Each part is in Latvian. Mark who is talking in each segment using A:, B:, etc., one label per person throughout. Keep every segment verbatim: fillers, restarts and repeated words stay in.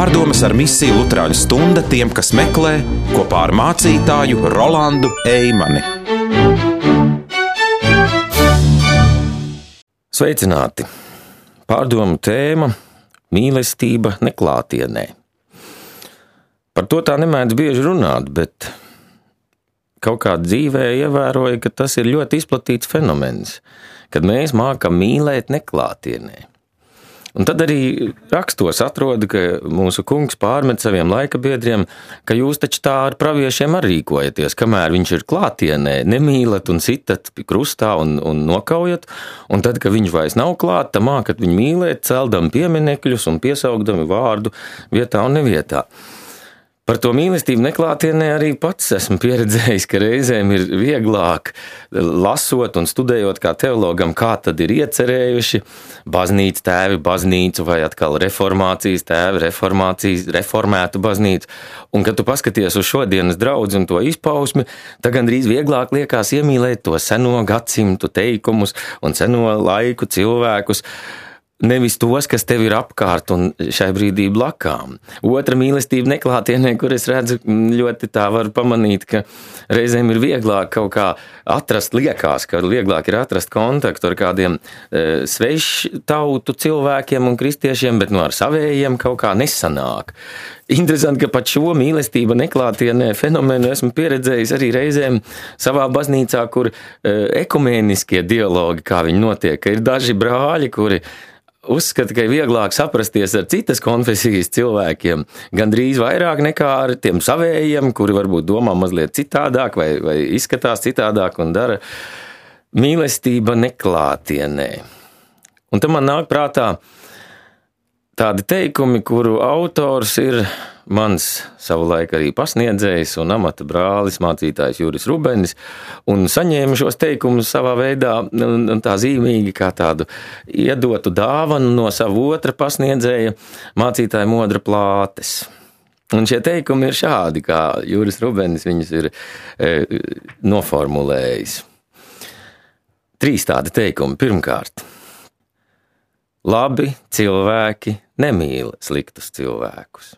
A: Pārdomas ar misiju Luterāņu stunda tiem, kas meklē, kopā ar mācītāju Rolandu Eimani.
B: Sveicināti! Pārdomu tēma – mīlestība neklātienē. Par to tā nemēdz bieži runāt, bet kaut kā dzīvē ievēroja, ka tas ir ļoti izplatīts fenomens, kad mēs mākam mīlēt neklātienē. Un tad arī rakstos atrodu, ka mūsu kungs pārmet saviem laikabiedriem, ka jūs taču tā ar praviešiem arī rīkojaties, kamēr viņš ir klātienē, nemīlat un sitat krustā un, un nokaujat, un tad, kad viņš vairs nav klāt, tā mākat viņu mīlēt, celdami pieminekļus un piesaugdami vārdu vietā un nevietā. Par to mīlestību neklātienē arī pats esmu pieredzējis, ka reizēm ir vieglāk lasot un studējot kā teologam, kā tad ir iecerējuši baznīcas tēvi baznīcu vai atkal reformācijas tēvi reformācijas, reformētu baznīcu. Un, kad tu paskaties uz šodienas draudzi un to izpausmi, tad gandrīz vieglāk liekas iemīlēt to seno gadsimtu teikumus un seno laiku cilvēkus, nevis tos, kas tev ir apkārt un šai brīdī blakām. Otra mīlestība neklātienē, kur es redzu, ļoti tā var pamanīt, ka reizēm ir vieglāk kaut kā atrast, liekas, ka vieglāk ir atrast kontaktu ar kādiem e, svešu tautu cilvēkiem un kristiešiem, bet no ar savējiem kaut kā nesanāk. Interesanti, ka pat šo mīlestība neklātienē fenomenu esmu pieredzējis arī reizēm savā baznīcā, kur e, ekumēniskie dialogi, kā viņi notiek, ka ir daži brāļi, kuri uzskata, ka ir vieglāk saprasties ar citas konfesijas cilvēkiem, gandrīz vairāk nekā ar tiem savējiem, kuri varbūt domā mazliet citādāk vai, vai izskatās citādāk un dara mīlestība neklātienē. Un tam man nāk prātā tādi teikumi, kuru autors ir mans savulaik arī pasniedzējs un amata brālis, mācītājs Juris Rubenis, un saņēma šos teikumus savā veidā un tā zīmīgi kā tādu iedotu dāvanu no savu otra pasniedzēja, mācītāja Modra Plātes. Un šie teikumi ir šādi, kā Juris Rubenis viņus ir e, noformulējis. Trīs tādi teikumi. Pirmkārt, labi cilvēki nemīl sliktus cilvēkus.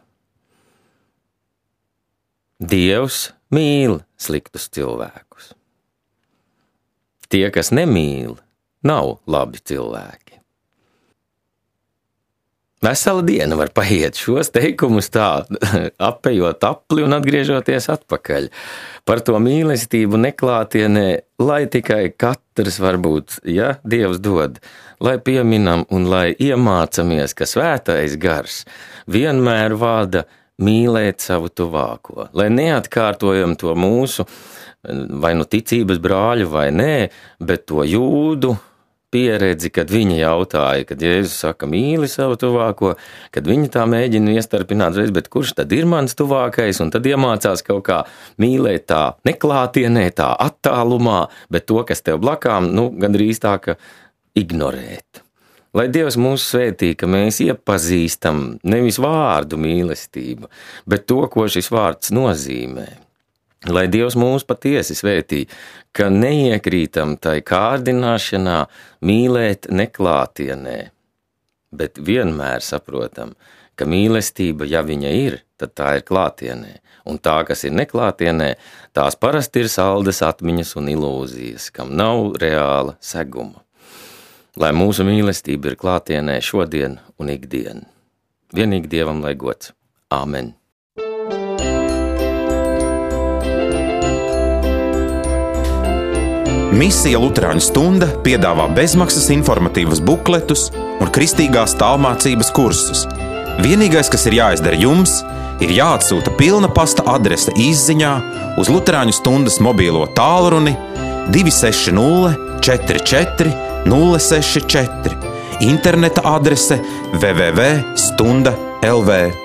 B: Dievs mīl sliktus cilvēkus. Tie, kas nemīl, nav labi cilvēki. Vesela diena var paiet šos teikumus tā, apejot apli un atgriežoties atpakaļ. Par to mīlestību neklātienē, lai tikai katrs varbūt, ja Dievs dod, lai pieminam un lai iemācamies, ka svētais gars vienmēr vada mīlēt savu tuvāko, lai neatkārtojam to mūsu, vai nu ticības brāļu vai nē, bet to jūdu pieredzi, kad viņi jautāja, kad Jēzus saka mīli savu tuvāko, kad viņi tā mēģina iestarpināt reiz, bet kurš tad ir mans tuvākais, un tad iemācās kaut kā mīlēt tā neklātienē, tā attālumā, bet to, kas tev blakām, nu, gandrīz tā, ka ignorēt. Lai Dievs mūs svētī, ka mēs iepazīstam nevis vārdu mīlestību, bet to, ko šis vārds nozīmē. Lai Dievs mūs patiesi svētī, ka neiekrītam tai kārdināšanā mīlēt neklātienē, bet vienmēr saprotam, ka mīlestība, ja viņa ir, tad tā ir klātienē, un tā, kas ir neklātienē, tās parasti ir saldas atmiņas un ilūzijas, kam nav reāla seguma. Lai mūsu mīlestība ir klātienē šodien un ikdien. Vienīgi Dievam lai gods. Āmen.
A: Misija Luterāņu stunda piedāvā bezmaksas informatīvas bukletus un kristīgās tālmācības kursus. Vienīgais, kas ir jāizdara jums, ir jāatsūta pilna pasta adrese izziņā uz Luterāņu stundas mobīlo tālruni divi seši nulle četri četri nulle seši četri, interneta adrese w w w punkt stunda punkt l v.